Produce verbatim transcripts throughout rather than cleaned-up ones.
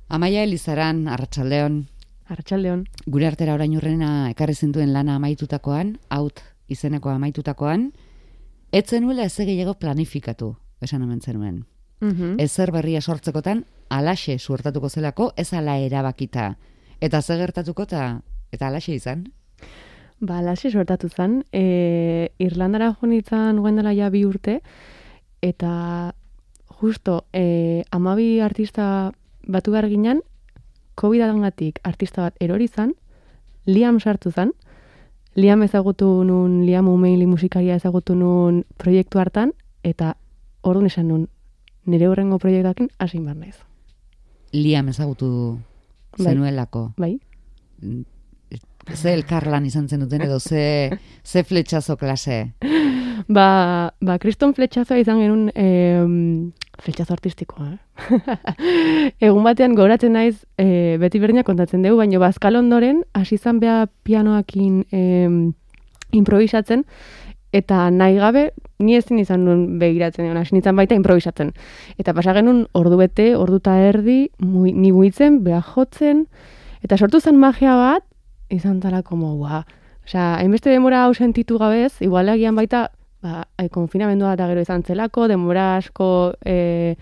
Amaia Elizaran, Arratsaldeon. Arratsaldeon. Gure artera orain urrena ekarri zintuen lana amaitutakoan, haut izeneko amaitutakoan, ez zenuela ez gehiago planifikatu, esan hemen zenuen. Mhm. Ezer berria sortzekotan, alaxe suertatuko zelako, ez ala erabakita. Eta ze gertatuko eta eta alaxe izan? Ba, alaxe suertatu zen. E, Irlandara jo nintzen guen dela ja bi urte, eta justo e, amabi artista batu behar ginen, COVID-arengatik artista bat erori zan, Liam sartu zan, Liam ezagutu nun, Liam Umeili musikaria ezagutu nun proiektu hartan, eta orduan esan nun, nire horrengo proiektuakin hasi behar naiz. Liam ezagutu zenuelako. Bai. Ze elkarlan izan zen duten edo ze, ze fletxazo klase? Ba, ba kriston fletxazoa izan genuen eh, fletxazo artistikoa. Eh? Egun batean goratzen naiz eh, beti berdina kontatzen dugu, baina bazkal ondoren hasi izan beha pianoakin eh, improvisatzen, eta nahi gabe ni ezin izan nuen begiratzen egon, hasi nintzen baita improvisatzen. Eta pasa genuen ordu bete, ordu eta erdi, mu, ni muitzen, beha jotzen, eta sortu zen magia bat, izan zara como, ua. Osea, hainbeste demora hau sentitu gabez, igual agian baita, ba, konfinamendua eta gero izan zelako, denbora asko e,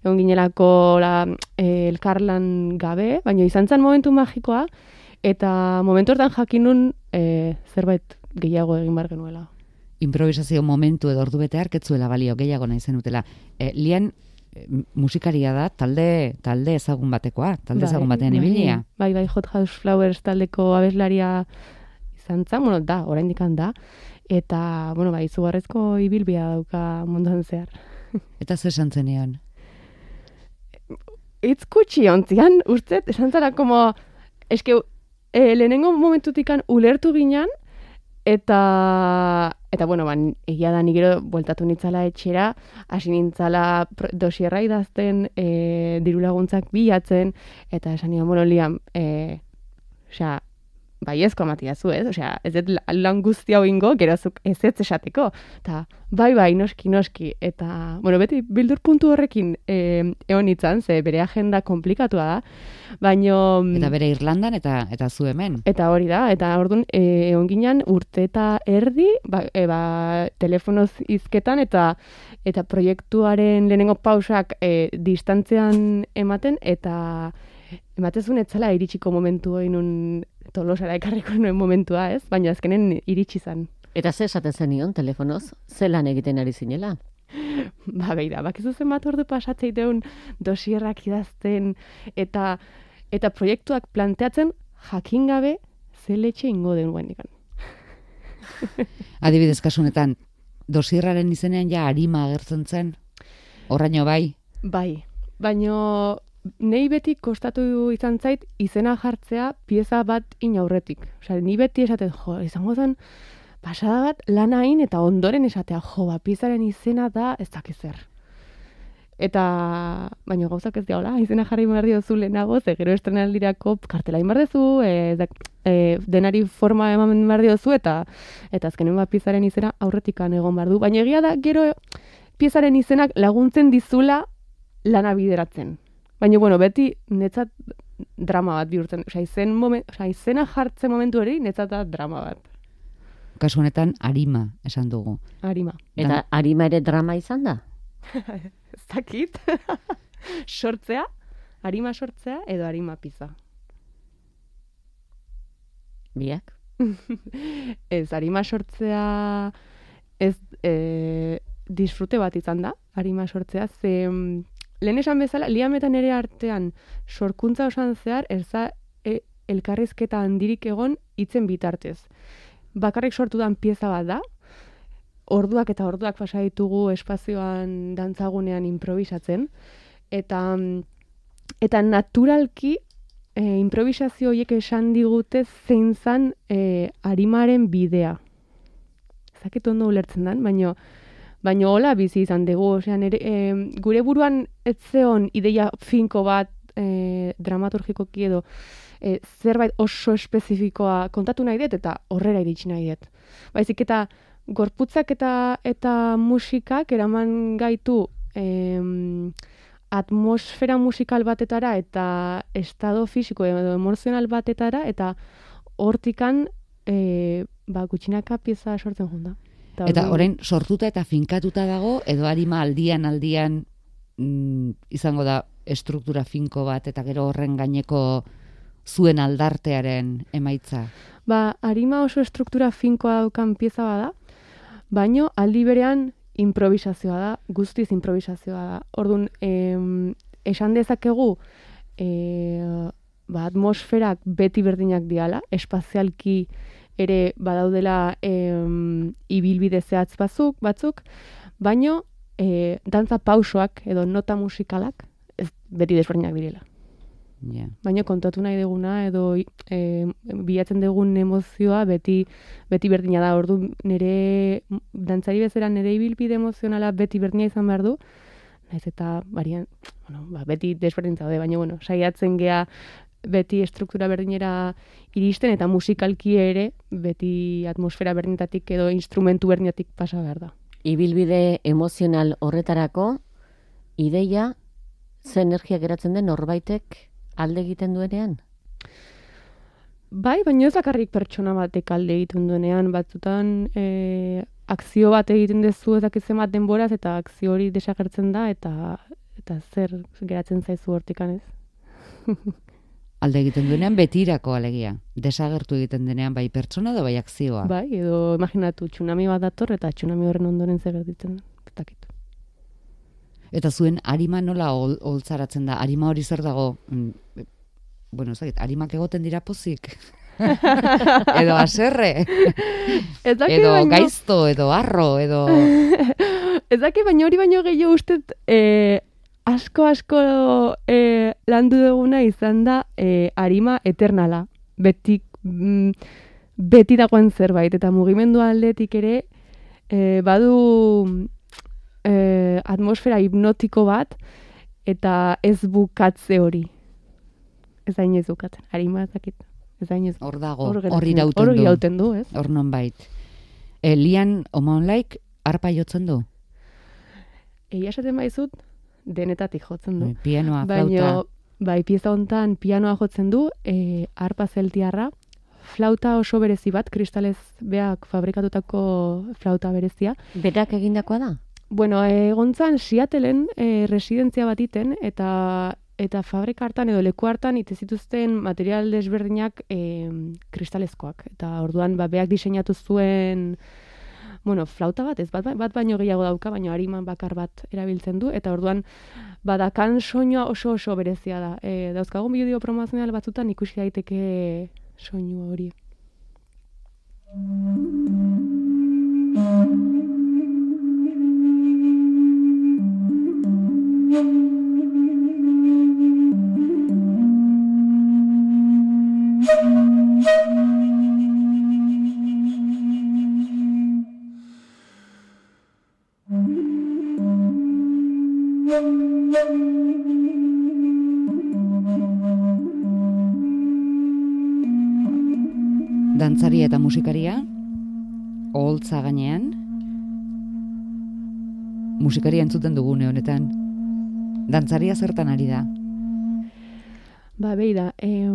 egon ginelako la, e, elkarlan gabe, baina izan zen momentu magikoa, eta momentu hortan jakinun e, zerbait gehiago egin bar genuela. Improvisazio momentu edo ordu bete harketzuela balio gehiago nahi zenutela. E, Lian e, musikaria da, talde talde ezagun batekoa, talde bai, ezagun batean ibilia. Bai, bai, Hot House Flowers taldeko abeslaria izan zen, bueno, da, oraindik da, eta, bueno, bai, izugarrezko ibilbia dauka munduan zehar. Eta zer esan zenean? Itz kutxi ontzian, ustet, esan zara, como, eske, e, lehenengo momentutikan ulertu ginen, eta, eta bueno, ban, egia da ni gero bueltatu nintzala etxera, hasi nintzala dosierra idazten, e, diru laguntzak bilatzen, eta esan nian, bueno, Liam, e, osea, baiezko amatia zu, ez? Osea, ez dut lan guzti hau ingo, gerozuk ez ez esateko. Eta, bai, bai, noski, noski. Eta, bueno, beti bildur puntu horrekin e, egon nintzen, ze bere agenda komplikatua da, baino... Eta bere Irlandan eta eta zu hemen. Eta hori da, eta orduan e, egon ginen urte eta erdi, ba, e, ba, telefonoz hizketan, eta eta proiektuaren lehenengo pausak e, distantzean ematen, eta ematezun etzala iritsiko momentu hori Tolosara ekarriko nuen momentua, ez? Baina azkenen iritsi zan. Eta ze esaten zenion telefonoz? Ze lan egiten ari zinela? Ba, beira, bakizu zen bat ordu pasatzeiteun dosierrak idazten eta eta proiektuak planteatzen jakin gabe ze letxe ingo den guendikan. Adibidez kasunetan, dosierraren izenean ja arima agertzen zen? Horraino bai? Bai, baino... Nei beti kostatu izan zait izena jartzea pieza bat inaurretik. Osea, ni beti esaten, jo, izango zen pasada bat lan hain eta ondoren esatea, jo, ba, piezaren izena da ez dakiz zer. Eta, baina gauzak ez diagola, izena jarri behar diozu lehenago, ze gero estrenaldirako kartela behar dezu, e, da, e, denari forma eman behar diozu, eta eta azkenen bat piezaren izena aurretikan egon behar du. Baina egia da, gero piezaren izenak laguntzen dizula lana bideratzen. Baina, bueno, beti netzat drama bat bihurtzen. Osea, izen moment, osea, izena jartzen momentu hori netzat da drama bat. Kasu honetan arima esan dugu. Arima. Eta arima ere drama izan da? Ez dakit. Sortzea, arima sortzea edo arima pizza. Biak? Ez, arima sortzea ez e, disfrute bat izan da, arima sortzea, ze... Lehen esan bezala, Liam eta nere artean sorkuntza osan zehar, erza e, elkarrizketa handirik egon hitzen bitartez. Bakarrik sortu dan pieza bat da, orduak eta orduak pasa ditugu espazioan dantzagunean improvisatzen, eta, eta naturalki e, improvisazio horiek esan digute zein zan e, arimaren bidea. Zakit ondo ulertzen dan, baina... Baina hola bizi izan dugu, osea, nere, e, gure buruan ez zeon ideia finko bat e, dramaturgikoki edo e, zerbait oso espezifikoa kontatu nahi dut eta horrera iritsi nahi dut. Baizik eta gorputzak eta eta musikak eraman gaitu e, atmosfera musikal batetara eta estado fisiko edo emozional batetara, eta hortikan e, ba, gutxinaka pieza sortzen junda. Eta, eta orain sortuta eta finkatuta dago, edo arima aldian aldian mm, izango da estruktura finko bat, eta gero horren gaineko zuen aldartearen emaitza? Ba, arima oso estruktura finkoa daukan pieza bada, baino aldi berean improvisazioa da, guztiz improvisazioa da. Orduan, em, esan dezakegu, e, ba, atmosferak beti berdinak diala, espazialki ere badaudela em, ibilbide zehatz batzuk, batzuk, baino e, dantza pausoak edo nota musikalak ez beti desberdinak direla. Yeah. Baina kontatu nahi duguna edo e, bilatzen dugun emozioa beti beti berdina da. Ordu nire dantzari bezala nire ibilbide emozionala beti berdina izan behar du. Naiz eta barian, bueno, ba, beti desberdin zaude, baina bueno, saiatzen gea beti estruktura berdinera iristen eta musikalki ere beti atmosfera berdinetatik edo instrumentu berdinatik pasa behar da. Ibilbide emozional horretarako ideia ze energia geratzen den norbaitek alde egiten duenean? Bai, baina ez bakarrik pertsona batek alde egiten duenean, batzutan e, akzio bat egiten dezu ezakitzen bat denboraz, eta akzio hori desagertzen da, eta eta zer geratzen zaizu hortikan ez. Alde egiten duenean betirako alegia. Desagertu egiten denean bai pertsona edo bai akzioa. Bai, edo imaginatu tsunami bat dator eta tsunami horren ondoren zer gertatzen da. Eta zuen arima nola ol, oltzaratzen da? Arima hori zer dago? Mm, bueno, ezagit, arimak egoten dira pozik. Edo aserre. Edo baino... gaizto, edo arro, edo... Ez daki, baina hori baino gehiago ustet eh, asko asko eh, landu duguna izan da eh, arima eternala. Beti, mm, beti dagoen zerbait, eta mugimendu aldetik ere eh, badu... Eh, atmosfera hipnotiko bat, eta ez bukatze hori. Ez hain ez bukatzen, harima ezakit. Ez hain ez. Hor dago, hor irauten du. Hor irauten du, ez? Hor non bait. E, Lian Omaonlaik arpa jotzen du? Egia esaten baizut, denetatik jotzen du. Pianoa, flauta. Baina, bai, pieza hontan pianoa jotzen du, e, arpa zeltiarra, flauta oso berezi bat, kristalez beak fabrikatutako flauta berezia. Berak egindakoa da? Bueno, egontzan Seattleen e, residentzia bat iten, eta eta fabrika hartan edo leku hartan ite zituzten material desberdinak e, kristalezkoak. Eta orduan ba, beak diseinatu zuen, bueno, flauta bat, ez bat, bat baino gehiago dauka, baino hariman bakar bat erabiltzen du, eta orduan badakan soinua oso oso berezia da. E, dauzkagun bideo promozional batzutan ikusi daiteke soinu hori. Dantzaria eta musikaria, oholtza gainean, musikaria entzuten dugune honetan. Dantzaria zertan ari da? Ba, behi da, eh,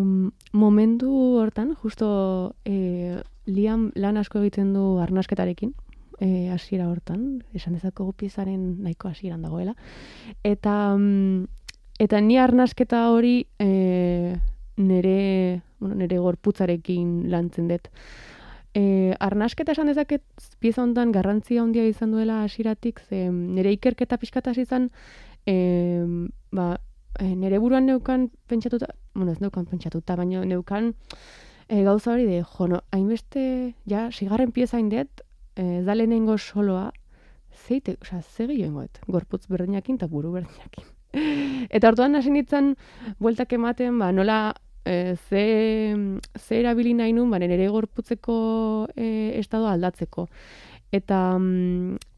momentu hortan, justo eh, Liam lan asko egiten du arnasketarekin, eh, hasiera hortan, esan dezakegu piezaren nahiko hasieran dagoela. Eta, mm, eta ni arnasketa hori eh, nere, bueno, nere gorputzarekin lantzen dut. E, arnasketa esan dezaket pieza hontan garrantzia handia izan duela hasieratik, ze nire ikerketa pixkataz izan, e, ba, e, nire buruan neukan pentsatuta, bueno, ez neukan pentsatuta, baina neukan e, gauza hori de, jo, no, hainbeste, ja, sigarren pieza indet, ez da lehenengo soloa, zeite, oza, ze gehiagoet, gorputz berdinakin eta buru berdinakin. Eta orduan hasi nintzen, bueltak ematen, ba, nola, E, ze, ze erabili nahi nun, baren ere gorputzeko e, estado aldatzeko. Eta,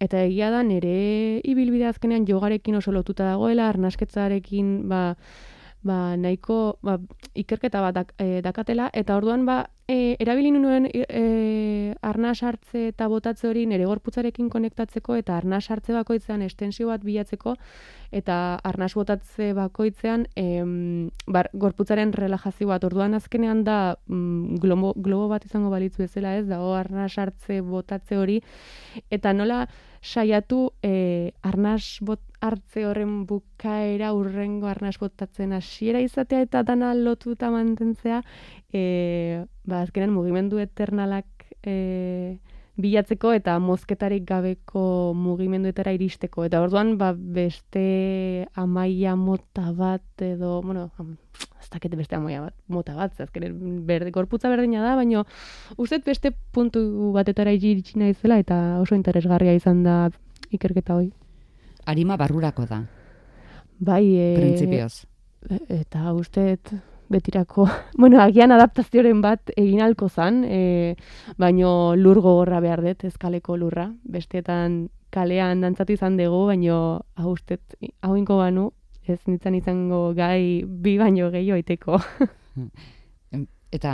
eta egia da nire ibilbide azkenean jogarekin oso lotuta dagoela, arnasketzarekin ba, ba, nahiko ba, ikerketa bat dak, e, dakatela, eta orduan ba, e, erabili nuen e, arnas hartze eta botatze hori nere gorputzarekin konektatzeko, eta arnas hartze bakoitzean estensio bat bilatzeko, eta arnas botatze bakoitzean em, bar, gorputzaren relajazio bat. Orduan azkenean da mm, globo, globo bat izango balitzu bezala, ez dago arnas hartze botatze hori, eta nola saiatu e, arnas bot, hartze horren bukaera urrengo arnas botatzen hasiera izatea eta dana lotuta mantentzea, e, ba, azkenean mugimendu eternalak e, bilatzeko eta mozketarik gabeko mugimenduetara iristeko. Eta orduan ba, beste amaia mota bat edo, bueno, ez dakit beste amaia bat, mota bat, azkenean berde, gorputza berdina da, baina uste beste puntu batetara iritsi naizela eta oso interesgarria izan da ikerketa hori. Arima barrurako da. Bai, e, printzipioz. Eta usteet betirako, bueno, agian adaptazioaren bat egin halko zan, e, baino lur gogorra behar dut, ezkaleko lurra. Besteetan kalean dantzatu izan dugu, baino hau usteet, hau inko banu, ez nintzen izango gai bi baino gehiago iteko. Eta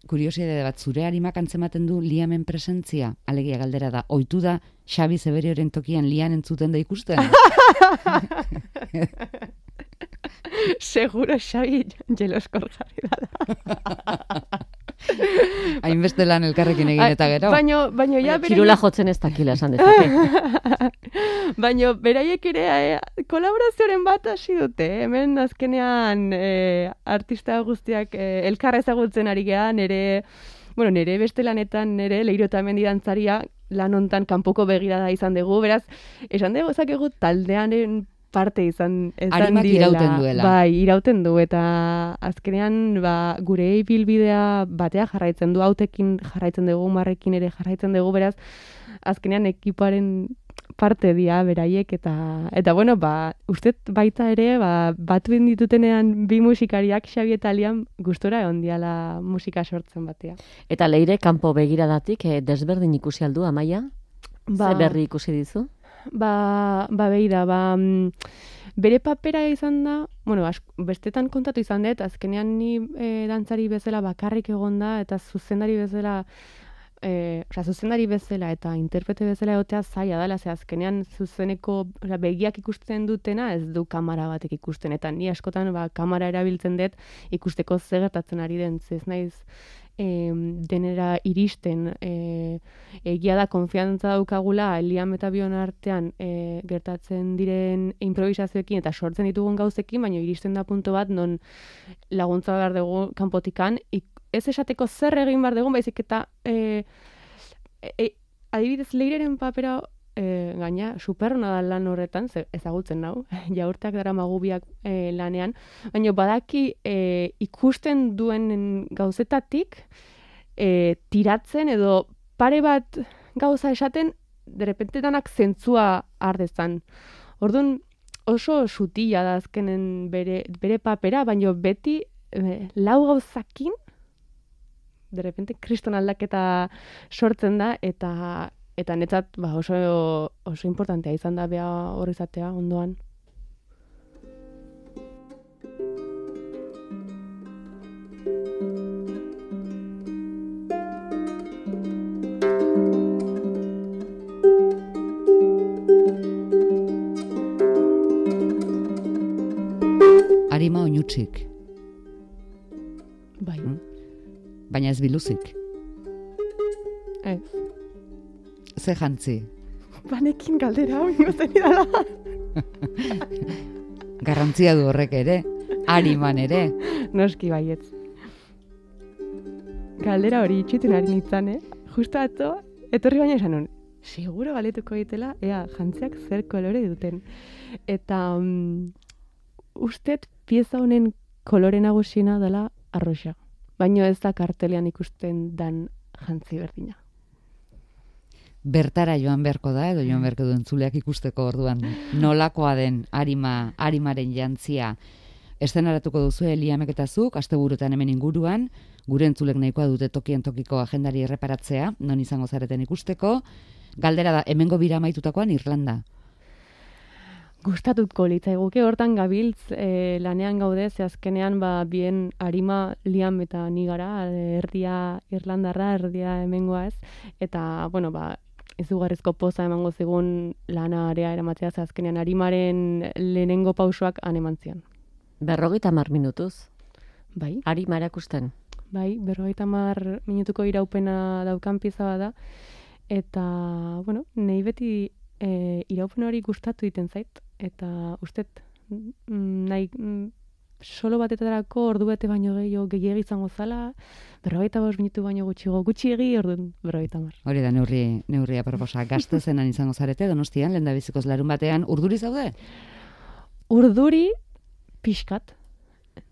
kuriosidade bat, zure arimak antzematen du liamen presentzia? Alegia galdera da, ohitu da Xabi Zeberioren tokian lian entzuten da ikusten? Seguro Xabi jeloskor jarri da. Hainbeste lan elkarrekin egin eta gero. Baino, baino ja beraiek... Kirula jotzen ez dakila esan dezake. Baino beraiek ere e, kolaborazioaren bat hasi dute. Hemen azkenean e, artista guztiak e, elkarra ezagutzen ari gean, nere, bueno, nere beste lanetan, nere Leiro eta Mendi dantzaria lan hontan kanpoko begirada izan dugu. Beraz, esan dugu ezakegu taldearen parte izan, izan Arimak direla. irauten duela. Bai, irauten du, eta azkenean ba, gure ibilbidea batea jarraitzen du, hautekin jarraitzen dugu, marrekin ere jarraitzen dugu, beraz, azkenean ekipoaren parte dira beraiek, eta, eta bueno, ba, ustet baita ere, ba, batu ditutenean bi musikariak Xabi eta Lian gustora egon diala musika sortzen batea. Eta Leire kanpo begiradatik eh, desberdin ikusi aldu, Amaia? Ba, Ze berri ikusi dizu? Ba, ba beira, ba, bere papera izan da, bueno, asko, bestetan kontatu izan dut, azkenean ni e, dantzari bezala bakarrik egon da, eta zuzendari bezala, e, oza, zuzendari bezala eta interprete bezala egotea zaila dela, ze azkenean zuzeneko oza, begiak ikusten dutena ez du kamera batek ikusten, eta ni askotan ba, kamera erabiltzen dut ikusteko zer gertatzen ari den, ez naiz, E, denera iristen e, egia da konfiantza daukagula Liam eta Bion artean e, gertatzen diren improvisazioekin eta sortzen ditugun gauzekin, baina iristen da punto bat non laguntza behar dugu kanpotikan, ez esateko zer egin behar dugun, baizik eta e, e, adibidez Leireren papera e, gaina superrona da lan horretan, ezagutzen nau, jaurteak dara magubiak e, lanean, baina badaki e, ikusten duen gauzetatik e, tiratzen edo pare bat gauza esaten derrepente danak zentzua ardezan. Orduan oso sutila da azkenen bere, bere papera, baina beti e, lau gauzakin derrepente kriston aldaketa sortzen da, eta Eta netzat ba, oso, oso importantea izan da beha hor izatea ondoan. Arima oinutsik. Bai. Hmm? Baina ez biluzik. Ez. Ze jantzi? Banekin galdera hau ingozen idala. Garrantzia du horrek ere, ariman ere. Noski baietz. Galdera hori itxuten ari nintzen, eh? Justo atzo, etorri baina esan hon, seguro galetuko ditela, ea, jantziak zer kolore duten. Eta um, ustet pieza honen kolore nagusiena dela arroxa. Baina ez da kartelean ikusten dan jantzi berdina. Bertara joan beharko da, edo joan beharko duen zuleak ikusteko orduan nolakoa den arima, arimaren jantzia. Eszenaratuko duzu Liamek eta zuk, asteburuetan hemen inguruan, gure entzulek nahikoa dute tokien tokiko agendari erreparatzea, non izango zareten ikusteko. Galdera da, hemengo bira amaitutakoan Irlanda. gustatuko litzaiguke hortan gabiltz e, lanean gaude, ze azkenean ba, bien arima liam eta ni gara, erdia irlandarra, erdia hemengoa ez, eta, bueno, ba, izugarrizko poza emango zigun lanarea eramatzea, ze azkenean arimaren lehenengo pausoak han eman zion. Berrogeita hamar minutuz, Bai, arima erakusten. bai, berrogeita hamar minutuko iraupena daukan pieza bada, eta, bueno, nahi beti e, iraupen hori gustatu egiten zait, eta ustet mm, nahi mm, solo batetarako ordu bete baino gehiago gehiagi izango zala, berrogeita bost minutu baino gutxigo gutxiegi orduan berrogeita hamar. Hori da neurri, neurria proposa. Gaztezenan izango zarete, Donostian, lehendabizikoz larun batean, urduri zaude? Urduri pixkat,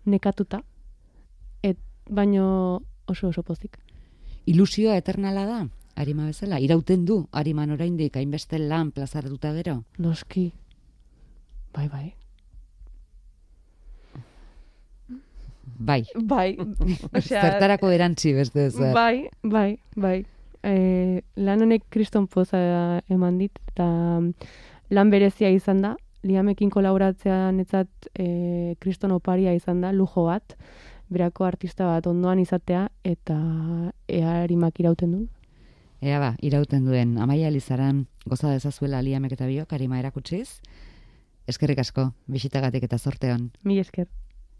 nekatuta, et baino oso oso pozik. Ilusioa eternala da, arima bezala? Irauten du, ariman oraindik hainbeste lan plazaratuta gero? Noski. Bai, bai. Bai. Bai, Zertarako erantzi beste zer. Bai, bai, bai. E, lan honek kriston poza eman dit, eta lan berezia izan da, liamekin kolaboratzea netzat e, kriston oparia izan da, lujo bat, berako artista bat ondoan izatea, eta ea arimak irauten duen. Ea ba, irauten duen, Amaia Elizaran goza dezazuela liamek eta biok, arima erakutsiz. Eskerrik asko, bisitagatik eta zorte hon. Mil esker.